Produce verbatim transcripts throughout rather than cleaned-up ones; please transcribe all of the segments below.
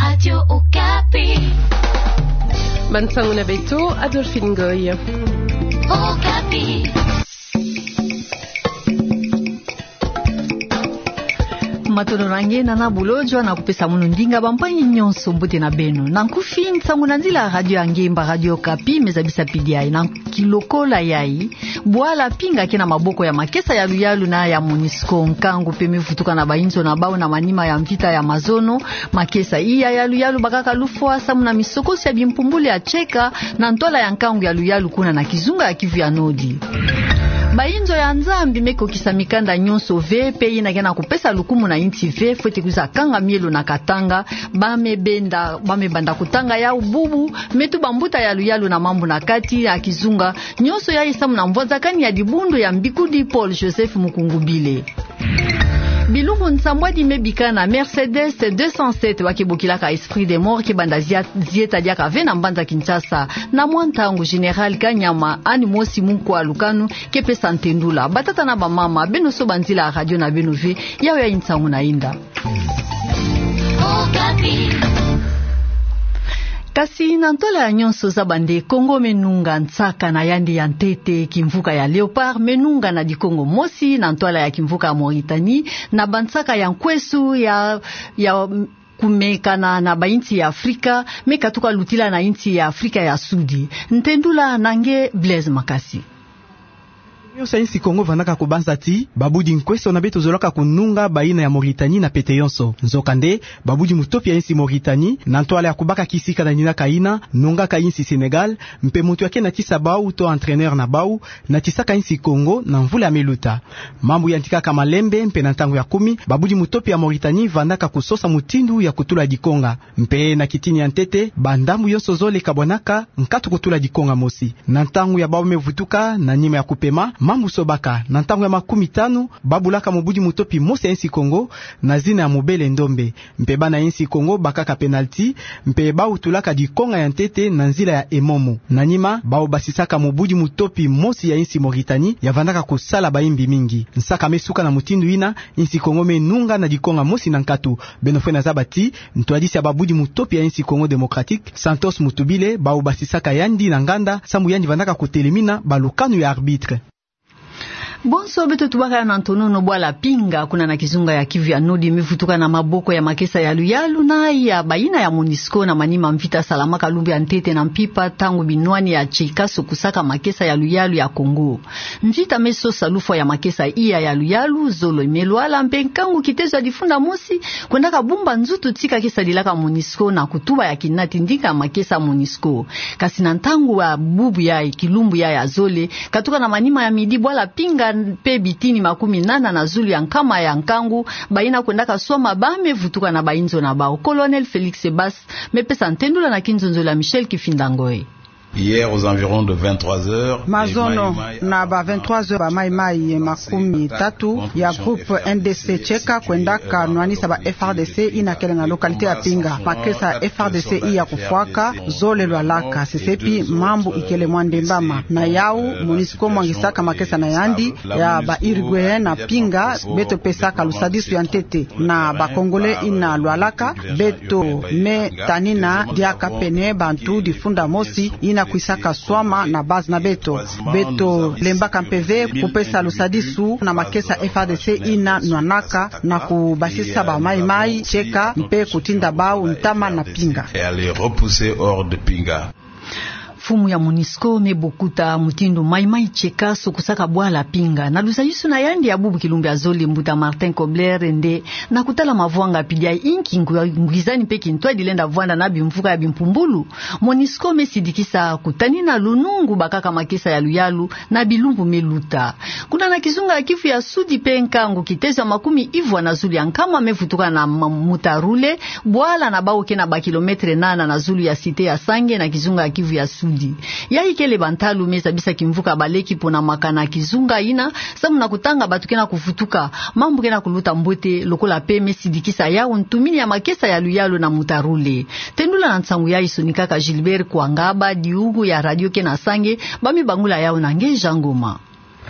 Radio Okapi. Bansango na beto, Adolphine Ngoy. Okapi. Matondo na nge, Nana Bolodjwa, na kupesa mono ndinga, bampangi nyonso, mbote na beno. Na nkufi, nsango na nzila ya radio ya nge mba Radio Okapi, me zabisa pidi ayi. Na kilokola yayi, bwala Pinga ke na maboko ya makesa ya luyalu na ya MONUSCO. Nkangu pe me vutuka na bainzo na bau na manima ya mvita ya mazono. Makesa iya ya luyalu bakaka lufwa samu na misokosi ya bimpumbulu ya Cheka na ntwala ya nkangu ya luyalu kuna na kizunga ya Kivu ya Nodi. Bainzo ya Nzambi me kokisa mikanda nyonso ve, pe yina ke na kupesa lukumu na insi ve, fwete kwiza kanga mielo na Katanga. Ba me benda, ba me banda kutanga yau bubu, me tuba mbuta ya luyalu na mambu na kati ya kizunga nyonso yayi samu na mvwazakani ya dibundu ya mbikudi Paul Joseph Mukungubile. Bilumbu nsambwadi me bikana, Mercedes deux cent sept wa ke bokilaka Esprit des Morts ke banda zia-, zieta diaka ve na mbanza Kinshasa. Na mwa ntangu, Général Kanyama, ani mosi mu nkwa lukanu, ke pesa ntendula. Batata na bamama, beno so ba nzila ya radio na beno ve, yau yayi nsango na inda. Kasi na ntwala ya nyonso, zaba nde Kongo me nunga nsaka na yandi ya ntete, kimvuka ya Léopard me nunga na dikongo mosi na ntwala ya kimvuka ya Mauritanie, na bansaka ya nkwesu ya, ya kumekana na bainsi ya Afrika, me katuka lutila na insi ya Afrika ya Sudi. Ntendula na nge Blaise Makasi. Nyonso ya insi Kongo vandaka kubanza ti babudi nkwesu na beto zolaka kununga bayina ya Mauritanie na pete yonso. Nzokande, babudi mutopi ya insi Mauritanie, na ntwala ya kubaka kisika na ninaka yina, nungaka insi Sénégal, mpe muntu ya ke natisa bau to entraîneur na bau, natisaka insi Kongo na mvula ya me luta. Mambu yantikaka malembe, mpe na ntangu ya kumi, babudi mutopi ya Mauritanie vandaka kusosa mutindu ya kutula dikonga. Mpe na kitini ya ntete, bandambu yonso zole kabwanaka nkatu kutula dikonga mosi. Na ntangu ya bau me vutuka, na nima ya kupema, mambu sobaka. Na ntangu ya makumi tanu, babulaka mobudi mutopi mosi ya insi Kongo, na zina ya Mobele Ndombe. Mpe bana insi Kongo bakaka penalty, mpe bau tulaka dikonga ya ntete na nzila ya emomo. Na nima, bau basisaka mobudi mutopi mosi ya insi Mauritanie, ya vandaka kusala bayimbi mingi. Nsaka me suka na mutindu yina, insi Kongo me nunga na dikonga mosi na nkatu. Beno fwene zaba ti ntwadisi ya babudi mutopi ya insi Congo Démocratique, Santos Mutubile, bau basisaka yandi na nganda, samu yandi vandaka kutelemina balukanu ya arbitre. Bonso beto tubaka na ntonono, bwala Pinga, kuna na kizunga ya Kivu ya Nodi, me vutuka na maboko ya makesa ya luyalu na ya bayina ya MONUSCO na manima mvita salamaka lumbu ya ntete na mpimpa, ntangu binwani ya Cheka sokusaka makesa ya luyalu ya Congo. Mvita me sosa lufwa ya makesa iya ya luyalu, zolo me lwala, mpe nkangu kitezo ya difunda mosi kwendaka bumba nzutu tika ke sadilaka MONUSCO na kutuba ya kinati ndinga makesa MONUSCO. Kasi na ntangu ya bubu yayi, kilumbu yayi ya zole, katuka na manima ya midi, bwala Pinga mpe bitini makumi nana na zulu ya nkama ya nkangu, bayina kwendaka swama ba me vutuka na bainzo na bau. Colonel Félix Sebas me pesa ntendula na kinzonzolo ya Michel Kifinda Ngoy. Hier, aux environs de vingt-trois heures, mazono, na ba vingt-trois heures, ba maïmaï makumi tatu ya groupe N D C Cheka kwendaka nwanisa ba F A R D C yina kele na localité ya Pinga. Makesa ya F A R D C iya kufwaka, zole lwalaka, sesepi mambu ikele mwa ndembama. Na yau, MONUSCO mwangisaka makesa na yandi ya ba Uruguayen na Pinga, beto pesaka lusadisu ya ntete. Na ba Congolais yina lwalaka, beto me tanina diaka pene bantu difunda mosi yina kwisaka swama na base na beto. Beto lembaka mpe ve kupesa lusadisu na makesa F A R D C yina nwanaka na kubasisa ba maïmaï Cheka mpe kutinda bau ntama na Pinga. Et à les repousser hors de Pinga. Mfumu ya MONUSCO me bokuta mutindu maïmaï Cheka sokusaka bwala Pinga. Na lusadisu na yandi ya bubu kilumbu ya zole, mbuta Martin Kobler nde na kutala mavwanga pidi ya inki ngwi-, ngwizani mpe kintwadi lenda vwanda na bimvuka ya bimpumbulu. MONUSCO me sidikisa kutanina lunungu bakaka makesa ya luyalu na bilumbu me luta. Kuna na kizunga ya Kivu ya Sudi mpe, nkangu kitezo ya makumi ivwa na zulu ya nkama me vutuka na ma-, Mutarule, bwala na bau ke na ba kilomètre nana na zulu ya cité ya Sange na kizunga ya Kivu ya Sudi. Yayi kele ba ntalu me zabisa kimvuka baleki pona makana kizunga yina, samu na kutanga bato ke na kuvutuka. Mambu ke na kuluta mbote, lokola mpe me sidikisa yau ntumini ya makesa ya luyalu na Mutarule. Tendula na nsangu yayi sonikaka Gilbert Kwangaba, diugu ya radio ke na Sange, ba me bangula yau na nge Jean Ngoma.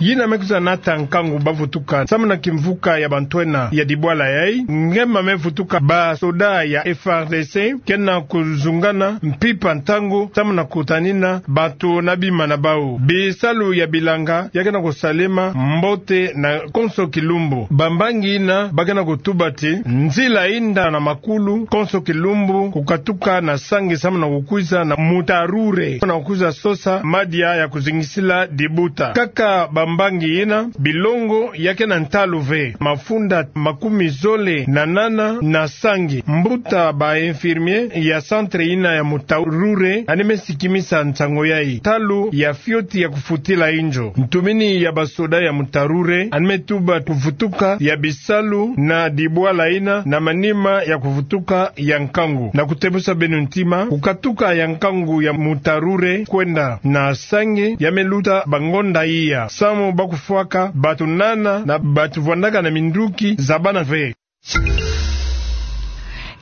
Yina me kwiza nata nkangu bavutuka samu na kimvuka ya bantwenya ya dibwala yayi, ngema me vutuka basoda ya F R D C, kena kuzungana mpimpa ntangu samu na kutanina bato na bima na bau. Bisalu ya bilanga ya kena kusalema mbote na konso kilumbu. Bambangi yina ba kena kutuba ti nzila yinda na makulu konso kilumbu kukatuka na Sange samu na kukwiza na Mutarure, na kukwiza sosa madia ya kuzingisila dibuta. Kaka bambangi yina, bilongo ya kena ntalu ve. Mafunda makumi zole na nana na Sange. Mbuta ba infirmier ya centre yina ya Mutarure yandi me sikimisa nsangu yayi. Ntalu ya fioti ya kufutila inzo. Ntumini ya basoda ya Mutarure yandi me tuba kuvutuka ya bisalu na dibwala yina na manima ya kuvutuka ya nkangu. Na kutebusa beno ntima, kukatuka ya nkangu ya Mutarure kwenda na Sange ya me luta bangonda iya. Samu ba kufwaka bato nana na bato vwandaka na minduki za bana ve.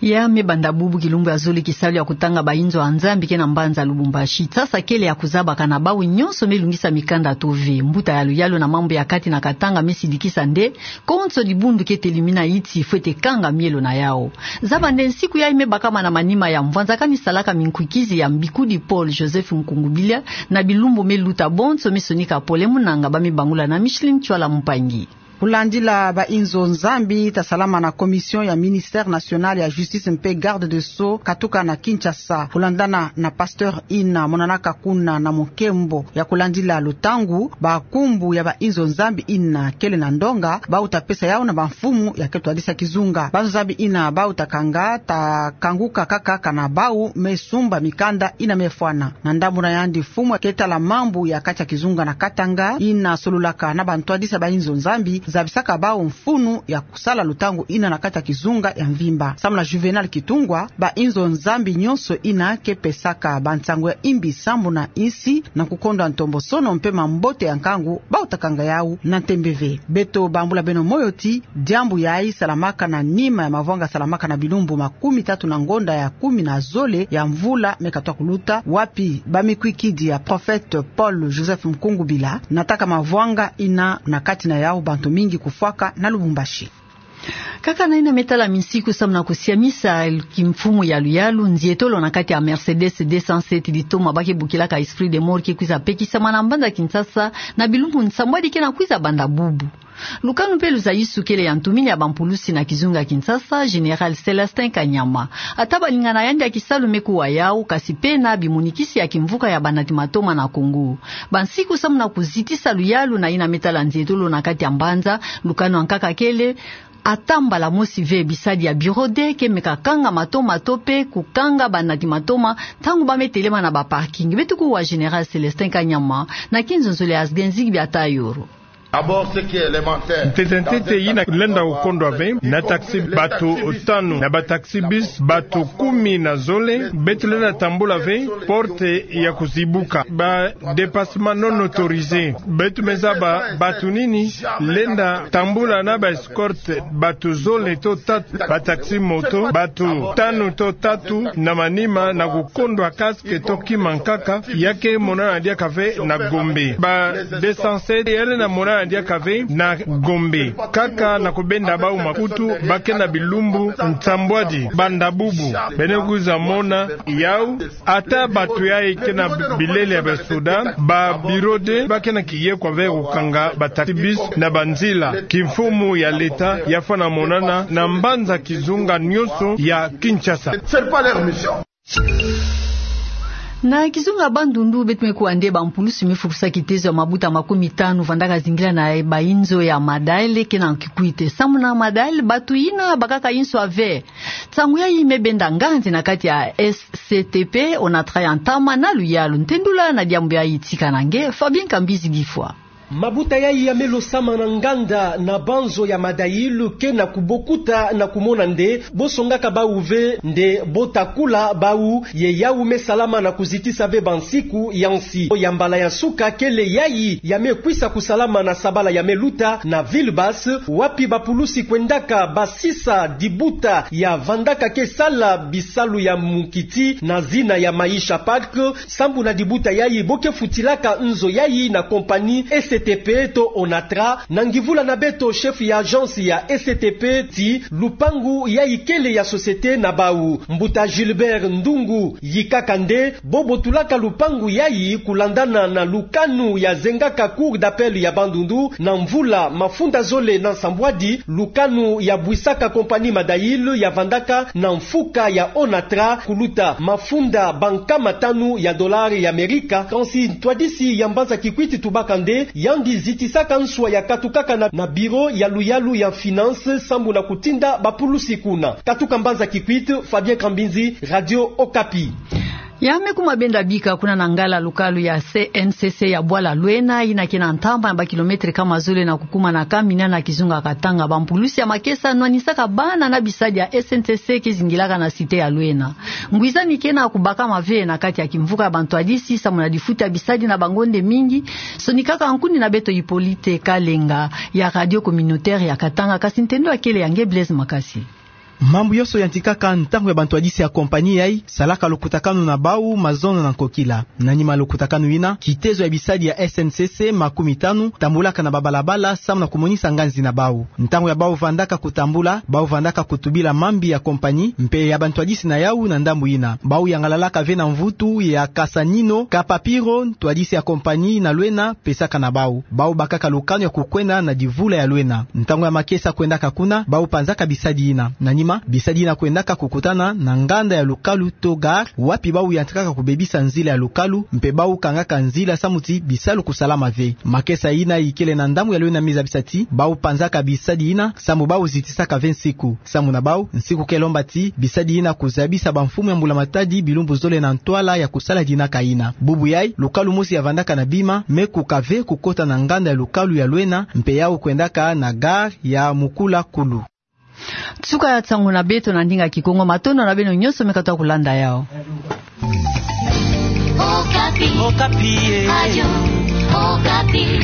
Ya me banda bubu kilumbu ya zole, kisalu ya kutanga bainzo ya Nzambi ke na mbanza Lubumbashi. Sasa kele ya kuzabaka na bawu nyonso me lungisa mikanda to ve. Mbuta ya luyalu na mambu ya kati na Katanga me sidikisa nde konso dibundu ke telimina iti fwete kanga mielo na yawu. Zaba nde nsiku yayi me bakama na manima ya mvwanzakani salaka minkwikizi ya mbikudi Paul Joseph Nkungubila na bilumbu me luta. Bonso me sonika Pole Munanga, ba me bangula na Micheline Tshuala Mpangi. Kulandila bainzo Nzambi ta salama na commission ya Ministère National ya Justice mpe Garde des Sceaux katuka na Kinshasa. Kulandana na pasteur yina monanaka kuna na mukembo ya kulandila lutangu, bankumbu ya bainzo Nzambi yina kele na ndonga, bawu ta pesa yawu na bamfumu ya ke twadisa kizunga. Banzo Nzambi yina bawu ta kanga ta kanguka kaka kana bawu me sumba mikanda yina me fwana. Na ndambu na yandi, mfumu ke tala mambu ya kati ya kizunga na Katanga, yina sololaka na bantwadisi ya bainzo Nzambi, zabisaka bawu mfunu ya kusala lutangu yina na kati ya kizunga ya mvimba. Samu na Juvenal Kitungwa, bainzo Nzambi nyonso yina ke pesaka bansango ya imbi sambu na insi na kukondwa ntombosono mpe mambote ya nkangu, bawu ta kanga yawu na ntembe ve. Beto bambula beno moyo ti diambu yayi salamaka na nima ya mavwanga salamaka na bilumbu makumi tatu na ngonda ya kumi na zole ya mvula me katwa kuluta, wapi bamikwikidi ya prophète Paul Joseph Nkungubila nataka mavwanga yina, na kati na yawu bantu mingi kufwaka na Lubumbashi. Kaka na yina me tala minsiku samu na kusiamisa kimfumu ya luyalu, nzietolo na kati ya Mercedes deux cent sept Litoma ba ke bokilaka Esprit des Morts ke kwiza pekisama na mbanza Kinshasa na bilumbu nsambwadi ke na kwiza banda bubu. Lukanu mpe luzayisu kele ya ntumini ya bampulusi na kizunga ya Kinshasa, Général Célestin Kanyama. Ata balingana yandi ya kisalu me kuwa yawu, kasi pena bimonikisi ya kimvuka ya banati matoma na Congo. Bansiku samu na kuzitisa luyalu na yina me tala nzietolo na kati ya mbanza, lukanu ya nkaka kele, ata mbala mosi ve bisadi ya bureau de ke meka kanga matoma to mpe kukanga banati matoma ntangu ba me telema na ba parking. Beto kuwa Général Célestin Kanyama na kinzonzolo ya Asgenzig Biatayoro. Ntete ntete yina lenda kukondwa ve, na taxi bato tanu, na ba taxi bus bato kumi na zole, beto lenda tambula ve, porte ya kuzibuka, ba dépassement non autorisé. Beto me zaba bato nini lenda tambula na ba escorte, bato zole to tatu, ba taxi moto, bato tanu to tatu na manima na kukondwa casque to kima nkaka, ya ke monana diaka ve na Gombe. Ba deux cent sept ya lenda monana diaka ve na Gombe. Kaka na kubenda bawu makutu, ba ke na bilumbu nsambwadi banda bubu. Beno kwiza mona yawu, ata bato yayi ke na bilele ya basoda, ba bureau de ba ke na kiyekwa ve kukanga ba taxi bus na banzila. Kimfumu ya leta ya fwana monana na mbanza kizunga nyonso ya Kinshasa. Na kizunga Bandundu, beto me kuwa nde bampulusi me fukusa kitezo ya mabuta makumi tanu vandaka zingila na bainzo ya Madael ke na Kikwit. Samu na Madael, bato yina bakaka inso ya ve. Nsangu yayi me benda nganzi na kati ya S C T P, Onatra ya ntama na luyalu. Ntendula na diambu yayi tika na nge, Fabien Kambizi Gifwa. Mabuta yayi ya me losama na nganda na banzo ya Madael ke na kubokuta na kumona nde bo songaka bawu ve nde bo ta kula bawu, ye yawu me salama na kuzitisa ve bansiku ya nsi. Ya mbala ya nsuka kele yayi ya me kwisa kusalama na sabala ya me luta na Ville Basse, wapi bapulusi kwendaka basisa dibuta ya vandaka ke sala bisalu ya mukiti na zina ya Maisha Park, sambu na dibuta yayi bo ke futilaka nzo yayi na compagnie S T P to ONATRA, na ngivula na beto chef ya agence ya S T P ti lupangu yayi kele ya société na bau. Mbuta Gilbert Ndungu yikaka nde bobo tulaka lupangu yayi kulandana na lukanu yazengaka Cour d'appel ya Bandundu na mvula mafunda zole na nsambwadi, lukanu yabwisaka compagnie Madail yavandaka na mfuka ya ONATRA kuluta mafunda bankama tanu ya dollar ya Amerika. Kansi ntwadisi ya mbanza kikwit tubaka nde yandi zitisaka nswa ya katukaka na, na bureau ya luyalu ya finance sambu na kutinda bapulusi kuna. Katuka mbanza kikwit, Fabien Kambinzi, Radio Okapi. Ya me kuma benda bika kuna na ngala lukalu ya C N C C ya bwala Luena, yina ke na ntamba ya ba kilomètre kama zole na kukuma na Kamina na kizunga Katanga. Bampulusi ya makesa nwanisaka bana na bisadi ya S N C C ke zingilaka na cité ya Luena. Ngwizani ke na kubakama ve na kati ya kimvuka ya bantwadisi, samu na difuta bisadi na bangonde mingi, sonikaka nkuni na beto Hippolyte Kalenga ya Radio Communautaire ya Katanga, kasi ntendo ya kele ya nge Blaise Makasi. Mambu yoso yantikaka ntangu ya bantwadisi ya compagnie yayi salaka lukutakanu na bau mazono na nkokila. Na nima lukutakanu yina, kitezo ya bisadi ya S N C C makumi tanu tambulaka na babalabala samu na kumonisa nganzi na bau. Ntangu ya bau vandaka kutambula, bau vandaka kutubila mambi ya compagnie mpe ya bantwadisi na yau na ndambu yina. Bau yangalalaka ve na mvutu ya kasanino, kapapiro ntwadisi ya compagnie na Luena pesaka na bau. Bau bakaka lukanu ya kukwenda na divula ya Luena. Ntangu ya makesa kwendaka kuna, bau panzaka bisadi yina. Na nima, bisadi yina kwendaka kukutana na nganda ya lukalu to gare, wapi bau yantikaka kubebisa nzila ya lukalu, mpe bau kangaka nzila samu ti bisalu kusalama ve. Makesa yina ikele na ndambu ya Luena mi zabisa ti bau panzaka bisadi yina, samu bau zitisaka ve nsiku. Samu na bau, nsiku ke lomba ti bisadi yina kuzabisa bamfumu ya Mbula Matadi bilumbu zole na ntwala ya kusala dinaka yina. Bubu yayi, lukalu mosi ya vandaka na bima me kuka ve kukota na nganda ya lukalu ya Luena, mpe yau kwendaka na gare ya Mukula Kulu. Suka ya nsangu na beto na ndinga Kikongo, matondo na beno nyonso me katuka kulanda yau. Okapi. Okapi, eh. Radio Okapi.